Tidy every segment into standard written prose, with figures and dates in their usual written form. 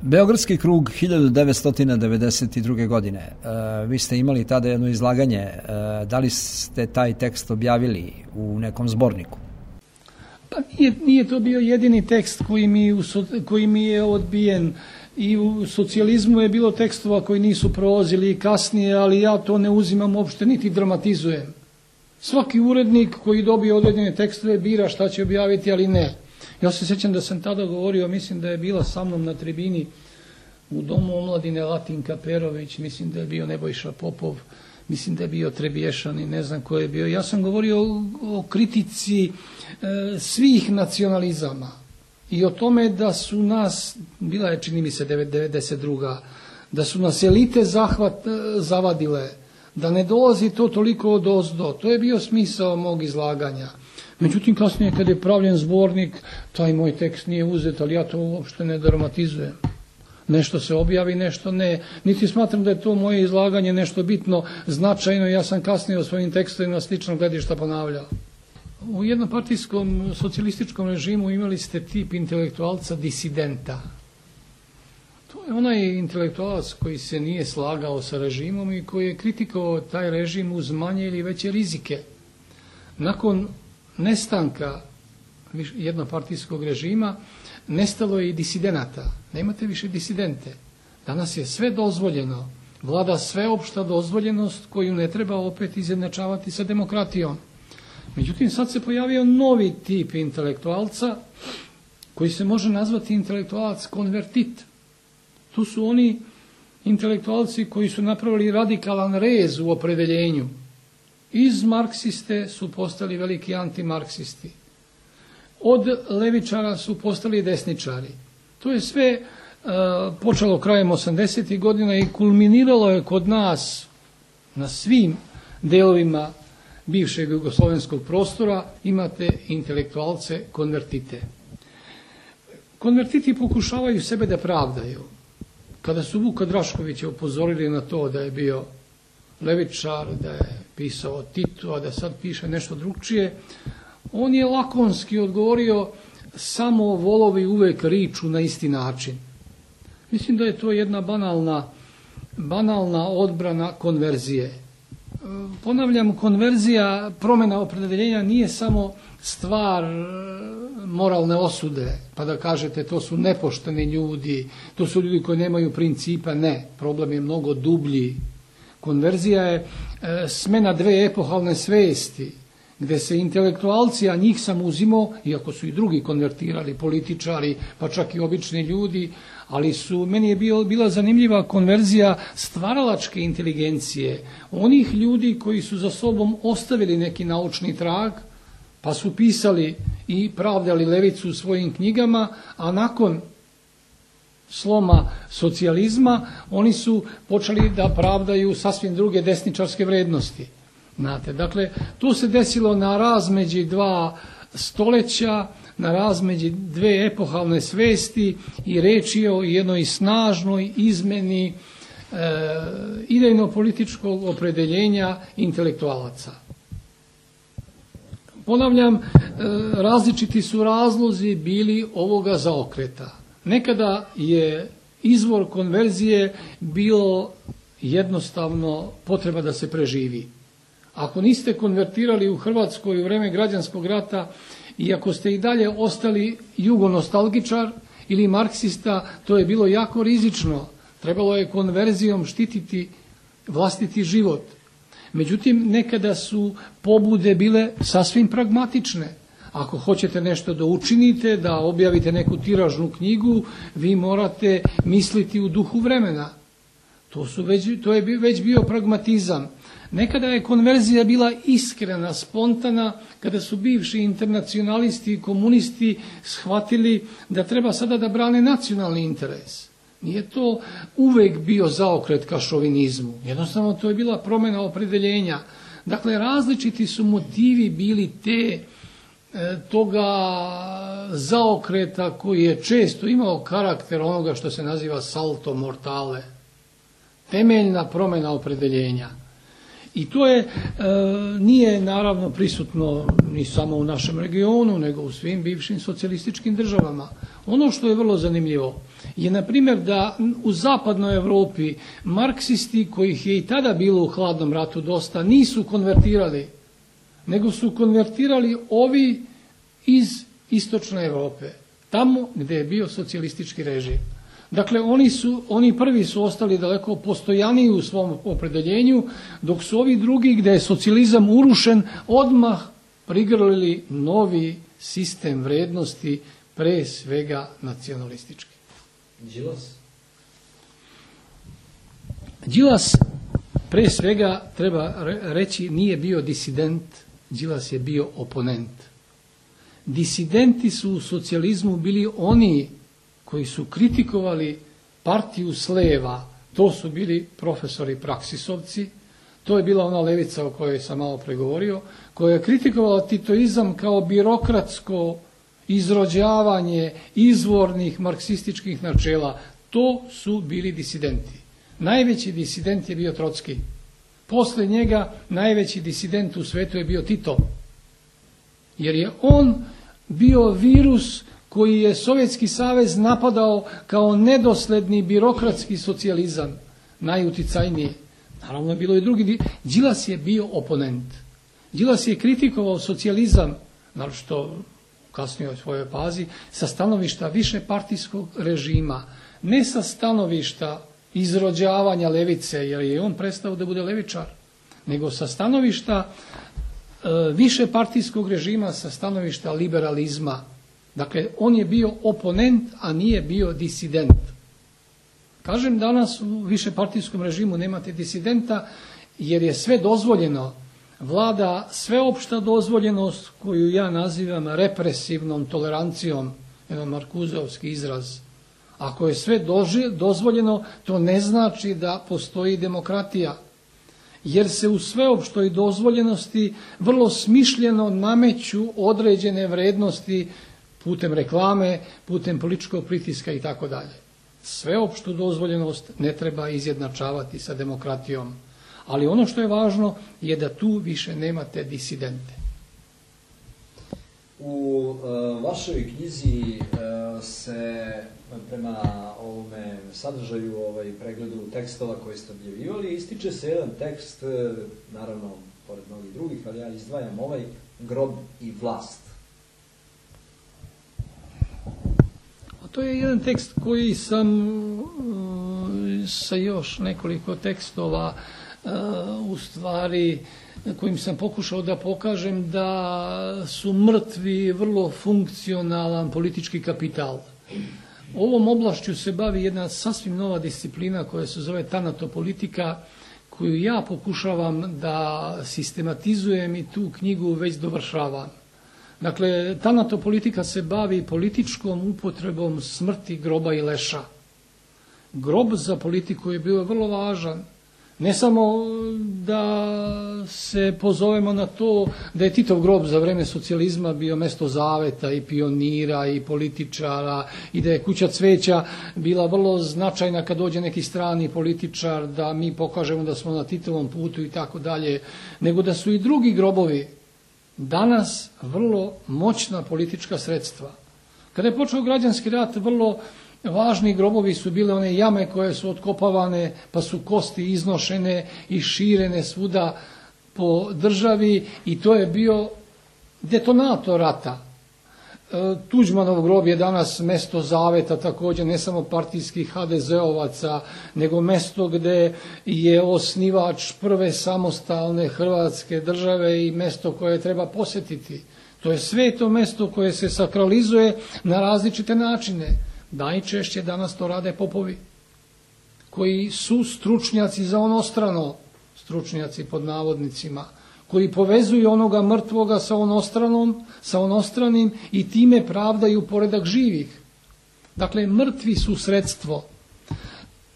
Beogradski krug 1992. godine. Vi ste imali tada jedno izlaganje. Da li ste taj tekst objavili u nekom zborniku? Pa nije to bio jedini tekst koji mi je odbijen. I u socijalizmu je bilo tekstova koji nisu prolazili i kasnije, ali ja to ne uzimam uopšte niti dramatizujem. Svaki urednik koji dobije određene tekstove bira šta će objaviti, ali ne. Ja se sjećam da sam tada govorio, mislim da je bila sa mnom na tribini u Domu omladine Latinka Perović, mislim da je bio Nebojša Popov, mislim da je bio Trebješan i ne znam ko je bio. Ja sam govorio o kritici svih nacionalizama i o tome da su nas, bila je čini mi se 92. da su nas elite zavadile, da ne dolazi to toliko od ozdo. To je bio smisao mog izlaganja. Međutim, kasnije kad je pravljen zbornik, taj moj tekst nije uzet, ali ja to uopšte ne dramatizujem. Nešto se objavi, nešto ne. Niti smatram da je to moje izlaganje nešto bitno, značajno. Ja sam kasnije o svojim tekstovima sličnog gledišta ponavljao. U jednopartijskom socijalističkom režimu imali ste tip intelektualca disidenta. To je onaj intelektualac koji se nije slagao sa režimom i koji je kritikovao taj režim uz manje ili veće rizike. Nakon nestanka jednopartijskog režima nestalo je i disidenata. Nemate više disidente. Danas je sve dozvoljeno. Vlada sveopšta dozvoljenost koju ne treba opet izjednačavati sa demokratijom. Međutim, sad se pojavio novi tip intelektualca koji se može nazvati intelektualac konvertit. Tu su oni intelektualci koji su napravili radikalan rez u opredeljenju. Iz marksiste su postali veliki antimarksisti. Od levičara su postali desničari. To je sve počelo krajem 80. godina i kulminiralo je kod nas na svim delovima bivšeg jugoslovenskog prostora. Imate intelektualce konvertite. Konvertiti pokušavaju sebe da pravdaju. Kada su Vuka Draškovića upozorili na to da je bio levičar, da je pisao o Titu, a da sad piše nešto drugčije, on je lakonski odgovorio: samo volovi uvek riču na isti način. Mislim da je to jedna banalna odbrana konverzije. Ponavljam, konverzija, promjena opredeljenja nije samo stvar moralne osude, pa da kažete to su nepošteni ljudi, to su ljudi koji nemaju principa. Ne, problem je mnogo dublji. Konverzija je smena dve epohalne svesti, gde se intelektualci, a njih sam uzimao, iako su i drugi konvertirali, političari, pa čak i obični ljudi, ali meni je bila zanimljiva konverzija stvaralačke inteligencije, onih ljudi koji su za sobom ostavili neki naučni trag, pa su pisali i pravdali levicu u svojim knjigama, a nakon sloma socijalizma oni su počeli da pravdaju sasvim druge desničarske vrednosti. Znate, dakle, to se desilo na razmeđi dva stoleća, na razmeđi dve epohalne svesti i reč je o jednoj snažnoj izmeni idejno-političkog opredeljenja intelektualaca. Ponavljam, različiti su razlozi bili ovoga zaokreta. Nekada je izvor konverzije bilo jednostavno potreba da se preživi. Ako niste konvertirali u Hrvatskoj u vreme građanskog rata i ako ste i dalje ostali jugonostalgičar ili marksista, to je bilo jako rizično. Trebalo je konverzijom štititi vlastiti život. Međutim, nekada su pobude bile sasvim pragmatične. Ako hoćete nešto da učinite, da objavite neku tiražnu knjigu, vi morate misliti u duhu vremena. To je već bio pragmatizam. Nekada je konverzija bila iskrena, spontana, kada su bivši internacionalisti i komunisti shvatili da treba sada da brane nacionalni interes. Nije to uvek bio zaokret ka šovinizmu. Jednostavno, to je bila promjena opredeljenja. Dakle, različiti su motivi bili toga zaokreta koji je često imao karakter onoga što se naziva salto mortale. Temeljna promjena opredeljenja. I to je, nije naravno prisutno ni samo u našem regionu, nego u svim bivšim socijalističkim državama. Ono što je vrlo zanimljivo je, na primjer, da u zapadnoj Europi marksisti, kojih je i tada bilo u hladnom ratu dosta, nisu konvertirali, nego su konvertirali ovi iz istočne Europe, tamo gdje je bio socijalistički režim. Dakle, oni prvi su ostali daleko postojaniji u svom opredeljenju, dok su ovi drugi, gdje je socijalizam urušen, odmah prigrlili novi sistem vrednosti, pre svega nacionalistički. Đilas, pre svega, treba reći, nije bio disident, Đilas je bio oponent. Disidenti su u socijalizmu bili oni koji su kritikovali partiju s leva, to su bili profesori praksisovci, to je bila ona levica o kojoj sam malo pregovorio, koja je kritikovala titoizam kao birokratsko izrođavanje izvornih marksističkih načela. To su bili disidenti. Najveći disident je bio Trotski. Posle njega najveći disident u svetu je bio Tito, jer je on bio virus koji je Sovjetski savez napadao kao nedosledni birokratski socijalizam, najuticajniji. Naravno, bilo i drugi. Đilas je bio oponent. Đilas je kritikovao socijalizam, naročito u kasnijoj svojoj fazi, sa stanovišta višepartijskog režima, ne sa stanovišta izrođavanja levice, jer je on prestao da bude levičar, nego sa stanovišta višepartijskog režima, sa stanovišta liberalizma. Dakle, on je bio oponent, a nije bio disident. Kažem, danas u višepartijskom režimu nemate disidenta, jer je sve dozvoljeno. Vlada sveopšta dozvoljenost, koju ja nazivam represivnom tolerancijom, jedan markuzovski izraz. Ako je sve dozvoljeno, to ne znači da postoji demokratija, jer se u sveopštoj dozvoljenosti vrlo smišljeno nameću određene vrednosti putem reklame, putem političkog pritiska i tako dalje. Sveopštu dozvoljenost ne treba izjednačavati sa demokratijom, ali ono što je važno je da tu više nemate disidente. U vašoj knjizi se prema ovome sadržaju pregledu tekstova koje ste objavljivali ističe se jedan tekst, naravno pored mnogih drugih, ali ja izdvajam ovaj, Grob i vlast. To je jedan tekst koji sam sa još nekoliko tekstova u stvari kojim sam pokušao da pokažem da su mrtvi vrlo funkcionalan politički kapital. Ovom oblašću se bavi jedna sasvim nova disciplina koja se zove tanatopolitika, koju ja pokušavam da sistematizujem i tu knjigu već dovršavam. Dakle, tanatopolitika se bavi političkom upotrebom smrti, groba i leša. Grob za politiku je bio vrlo važan. Ne samo da se pozovemo na to da je Titov grob za vreme socijalizma bio mesto zaveta i pionira i političara i da je kuća cveća bila vrlo značajna kad dođe neki strani političar da mi pokažemo da smo na Titovom putu i tako dalje, nego da su i drugi grobovi danas vrlo moćna politička sredstva. Kada je počeo građanski rat, vrlo važni grobovi su bile one jame koje su otkopavane, pa su kosti iznošene i širene svuda po državi i to je bio detonator rata. Tuđmanov grob je danas mesto zaveta, također ne samo partijskih HDZ-ovaca, nego mesto gde je osnivač prve samostalne Hrvatske države i mesto koje treba posjetiti. To je sveto mesto koje se sakralizuje na različite načine. Najčešće danas to rade popovi, koji su stručnjaci za onostrano, stručnjaci pod navodnicima, koji povezuju onoga mrtvoga sa onostranim i time pravdaju poredak živih. Dakle, mrtvi su sredstvo.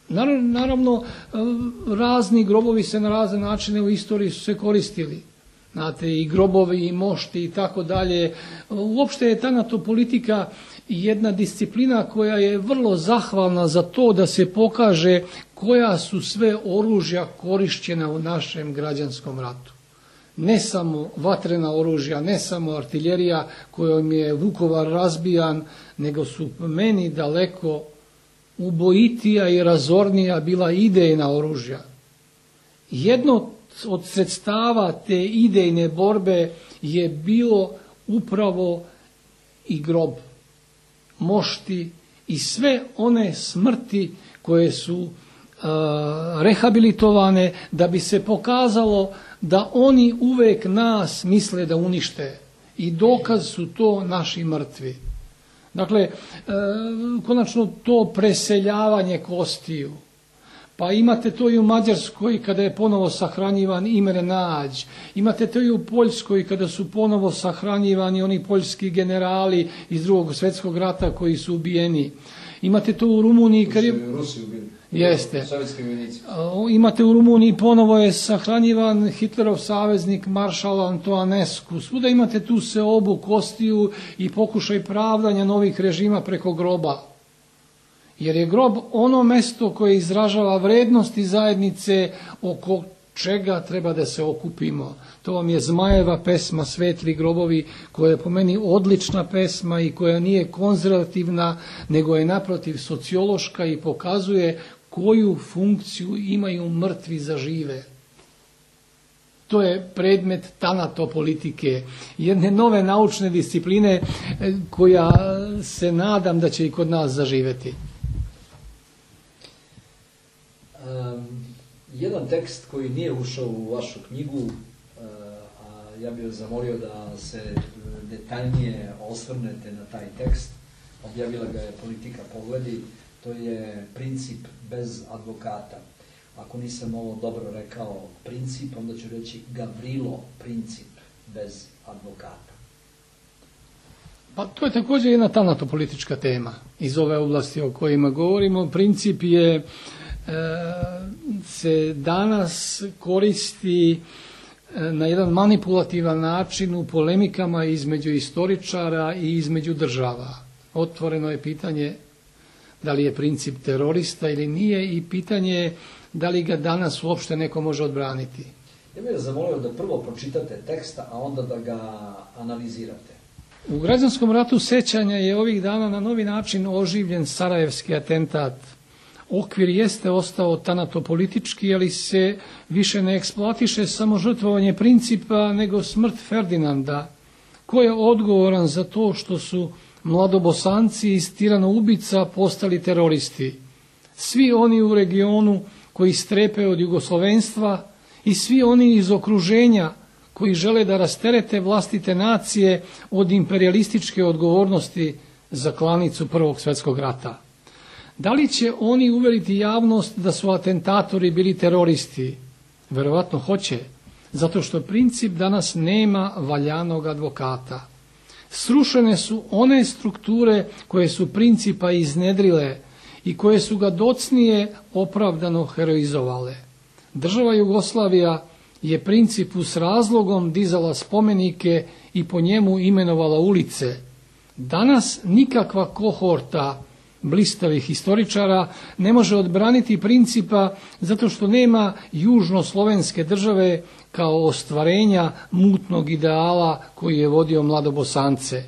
Naravno, razni grobovi se na razne načine u istoriji su se koristili. Znate, i grobovi, i mošti i tako dalje. Uopšte je tanatopolitika jedna disciplina koja je vrlo zahvalna za to da se pokaže koja su sve oružja korišćena u našem građanskom ratu. Ne samo vatrena oružja, ne samo artiljerija kojom je Vukovar razbijan, nego su meni daleko ubojitija i razornija bila idejna oružja. Jedno od sredstava te idejne borbe je bilo upravo i grob, mošti i sve one smrti koje su rehabilitovane da bi se pokazalo da oni uvek nas misle da unište i dokaz su to naši mrtvi. Dakle, konačno to preseljavanje kostiju. Pa imate to i u Mađarskoj kada je ponovo sahranjivan Imre Nađ. Imate to i u Poljskoj kada su ponovo sahranjivani oni poljski generali iz Drugog svjetskog rata koji su ubijeni. Imate to u Rumuniji kad je... Rusi ubili. Jeste. Sovjetski vojnici. Imate u Rumuniji ponovo je sahranjivan Hitlerov saveznik maršal Antoanescu. Svuda imate tu seobu kostiju i pokušaj pravdanja novih režima preko groba. Jer je grob ono mesto koje izražava vrednosti zajednice oko čega treba da se okupimo. To vam je Zmajeva pesma Svetli grobovi, koja je po meni odlična pesma i koja nije konzervativna, nego je naprotiv sociološka i pokazuje koju funkciju imaju mrtvi za žive. To je predmet tanatopolitike, jedne nove naučne discipline koja se nadam da će i kod nas zaživeti. Jedan tekst koji nije ušao u vašu knjigu, a ja bih vas zamolio da se detaljnije osvrnete na taj tekst, objavila ga je Politika Pogledi, to je Princip bez advokata. Ako nisam ovo dobro rekao princip, onda ću reći Gavrilo Princip bez advokata. Pa to je također jedna tanatopolitička tema iz ove oblasti o kojima govorimo. Princip je se danas koristi na jedan manipulativan način u polemikama između istoričara i između država. Otvoreno je pitanje da li je princip terorista ili nije i pitanje je da li ga danas uopšte neko može odbraniti. Ja bih vas zamolio da prvo pročitate teksta, a onda da ga analizirate. U građanskom ratu sećanja je ovih dana na novi način oživljen sarajevski atentat. Okvir jeste ostao tanatopolitički, ali se više ne eksploatiše samo žrtvovanje principa, nego smrt Ferdinanda. Ko je odgovoran za to što su mladobosanci iz tiranoubica postali teroristi? Svi oni u regionu koji strepe od jugoslovenstva i svi oni iz okruženja koji žele da rasterete vlastite nacije od imperijalističke odgovornosti za klanicu Prvog svjetskog rata. Da li će oni uveriti javnost da su atentatori bili teroristi? Verovatno hoće, zato što princip danas nema valjanog advokata. Srušene su one strukture koje su principa iznedrile i koje su ga docnije opravdano heroizovale. Država Jugoslavija je principu s razlogom dizala spomenike i po njemu imenovala ulice. Danas nikakva kohorta blistavih historičara ne može odbraniti principa zato što nema južnoslovenske države kao ostvarenja mutnog ideala koji je vodio mladobosance.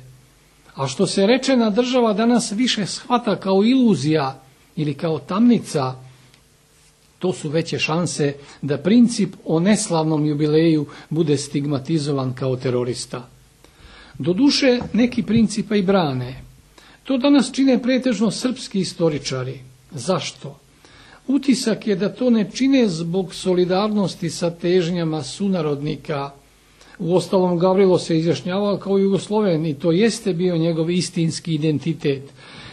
A što se rečena država danas više shvata kao iluzija ili kao tamnica, to su veće šanse da princip o neslavnom jubileju bude stigmatizovan kao terorista. Doduše, neki principa i brane. To danas čine pretežno srpski istoričari. Zašto? Utisak je da to ne čine zbog solidarnosti sa težnjama sunarodnika. Uostalom, Gavrilo se izjašnjavao kao Jugosloven i to jeste bio njegov istinski identitet,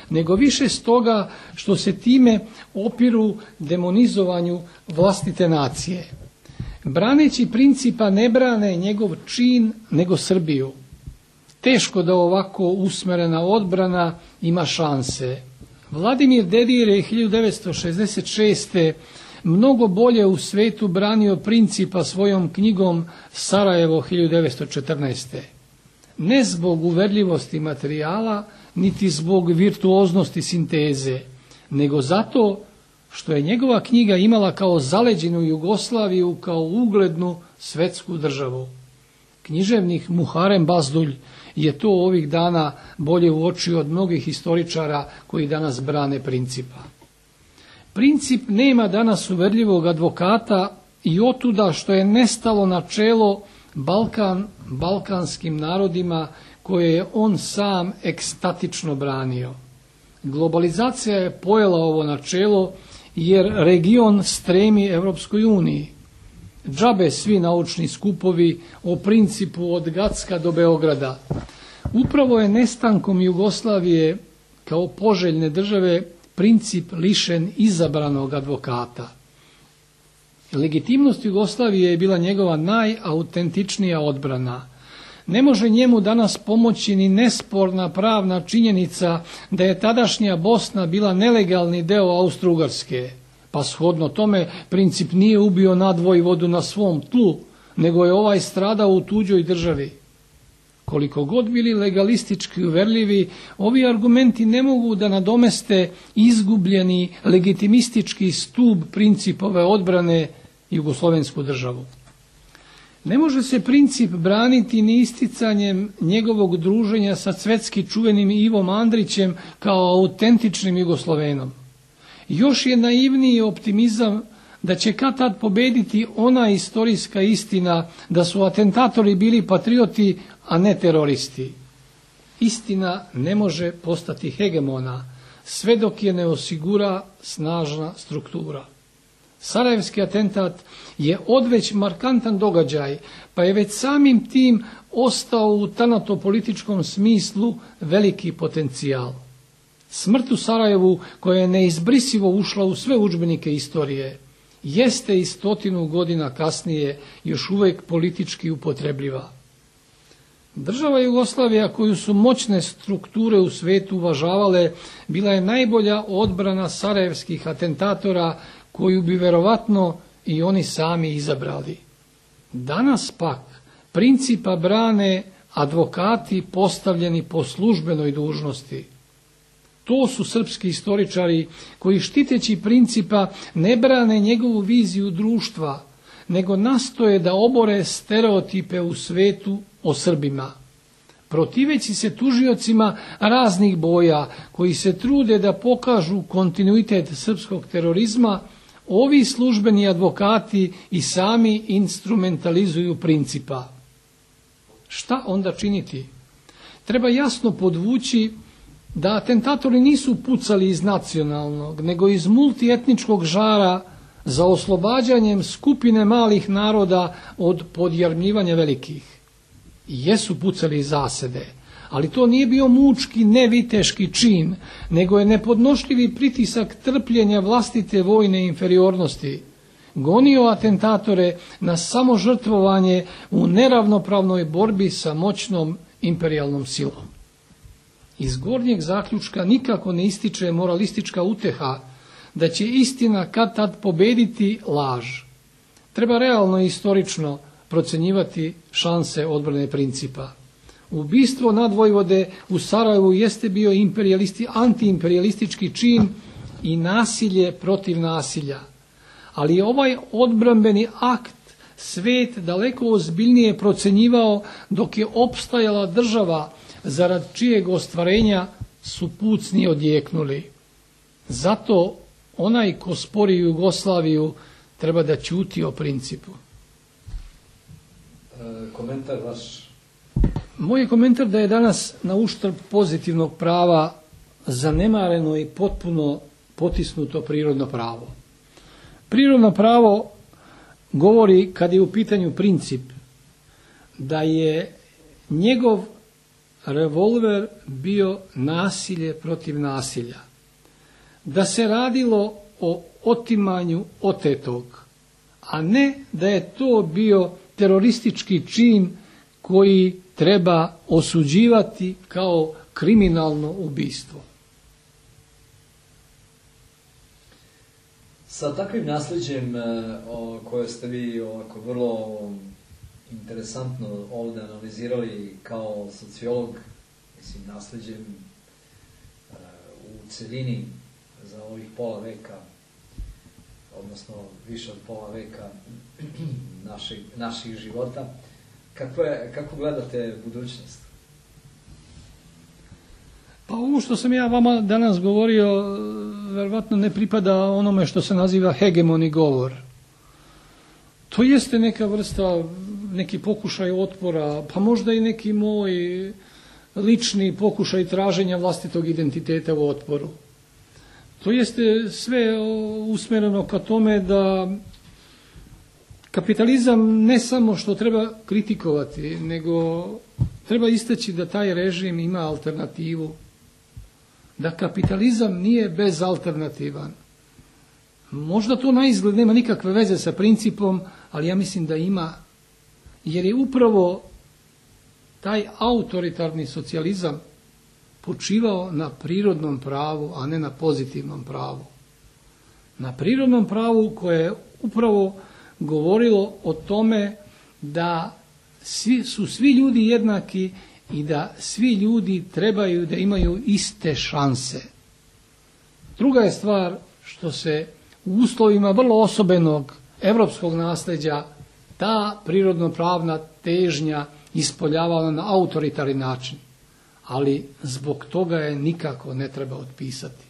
nego više stoga što se time opiru demonizovanju vlastite nacije. Braneći principa ne brane njegov čin, nego Srbiju. Teško da ovako usmerena odbrana ima šanse. Vladimir Dedir je 1966. mnogo bolje u svetu branio principa svojom knjigom Sarajevo 1914. ne zbog uverljivosti materijala, niti zbog virtuoznosti sinteze, nego zato što je njegova knjiga imala kao zaleđenu Jugoslaviju kao uglednu svetsku državu. Književnik Muharem Bazdulj je to ovih dana bolje uočio od mnogih historičara koji danas brane Principa. Princip nema danas uverljivog advokata i otuda što je nestalo načelo balkanskim narodima koje je on sam ekstatično branio. Globalizacija je pojela ovo načelo jer region stremi Evropskoj uniji. Džabe svi naučni skupovi o Principu od Gacka do Beograda. Upravo je nestankom Jugoslavije kao poželjne države Princip lišen izabranog advokata. Legitimnost Jugoslavije je bila njegova najautentičnija odbrana. Ne može njemu danas pomoći ni nesporna pravna činjenica da je tadašnja Bosna bila nelegalni deo Austro-Ugarske, pa shodno tome Princip nije ubio nadvojvodu na svom tlu, nego je ovaj stradao u tuđoj državi. Koliko god bili legalistički uverljivi, ovi argumenti ne mogu da nadomeste izgubljeni legitimistički stub Principove odbrane jugoslovensku državu. Ne može se Princip braniti ni isticanjem njegovog druženja sa svetski čuvenim Ivom Andrićem kao autentičnim Jugoslovenom. Još je naivniji optimizam da će kad tad pobediti ona istorijska istina da su atentatori bili patrioti, a ne teroristi. Istina ne može postati hegemona sve dok je ne osigura snažna struktura. Sarajevski atentat je odveć markantan događaj, pa je već samim tim ostao u tanatopolitičkom smislu veliki potencijal. Smrt u Sarajevu, koja je neizbrisivo ušla u sve udžbenike istorije, jeste i 100 godina kasnije još uvijek politički upotrebljiva. Država Jugoslavija, koju su moćne strukture u svijetu uvažavale, bila je najbolja odbrana sarajevskih atentatora, koju bi verovatno i oni sami izabrali. Danas pak Principa brane advokati postavljeni po službenoj dužnosti. To su srpski istoričari koji štiteći Principa ne brane njegovu viziju društva, nego nastoje da obore stereotipe u svetu o Srbima. Protiveći se tužiocima raznih boja koji se trude da pokažu kontinuitet srpskog terorizma, ovi službeni advokati i sami instrumentalizuju Principa. Šta onda činiti? Treba jasno podvući da atentatori nisu pucali iz nacionalnog, nego iz multietničkog žara za oslobađanjem skupine malih naroda od podjarmljivanja velikih. Jesu pucali iz zasede, ali to nije bio mučki, neviteški čin, nego je nepodnošljivi pritisak trpljenja vlastite vojne inferiornosti gonio atentatore na samožrtvovanje u neravnopravnoj borbi sa moćnom imperijalnom silom. Iz gornjeg zaključka nikako ne ističe moralistička uteha da će istina kad tad pobediti laž. Treba realno i istorično procenjivati šanse odbrane Principa. Ubistvo nadvojvode u Sarajevu jeste bio antiimperialistički čin i nasilje protiv nasilja. Ali je ovaj odbrambeni akt svet daleko ozbiljnije procenjivao dok je opstajala država zarad čijeg ostvarenja su pucni odjeknuli. Zato onaj ko spori Jugoslaviju treba da ćuti o Principu. Komentar vaš? Moj je komentar da je danas na uštrb pozitivnog prava zanemareno i potpuno potisnuto prirodno pravo. Prirodno pravo govori, kad je u pitanju Princip, da je njegov revolver bio nasilje protiv nasilja. Da se radilo o otimanju otetog, a ne da je to bio teroristički čin koji treba osuđivati kao kriminalno ubistvo. Sa takvim nasljeđem koje ste vi ovako vrlo interesantno ovde analizirali kao sociolog, mislim, nasleđem u celini za ovih pola veka, odnosno više od pola veka naših života. Kako gledate budućnost? Pa ovo što sam ja vama danas govorio, verovatno ne pripada onome što se naziva hegemoni govor. To jeste neka vrsta, neki pokušaj otpora, pa možda i neki moj lični pokušaj traženja vlastitog identiteta u otporu. To jeste sve usmereno ka tome da kapitalizam ne samo što treba kritikovati, nego treba istaći da taj režim ima alternativu. Da kapitalizam nije bezalternativan. Možda to na izgled nema nikakve veze sa principom, ali ja mislim da ima. Jer je upravo taj autoritarni socijalizam počivao na prirodnom pravu, a ne na pozitivnom pravu. Na prirodnom pravu koje je upravo govorilo o tome da su svi ljudi jednaki i da svi ljudi trebaju da imaju iste šanse. Druga je stvar što se u uslovima vrlo osobenog evropskog nasleđa ta prirodno-pravna težnja ispoljavala na autoritarni način, ali zbog toga je nikako ne treba otpisati.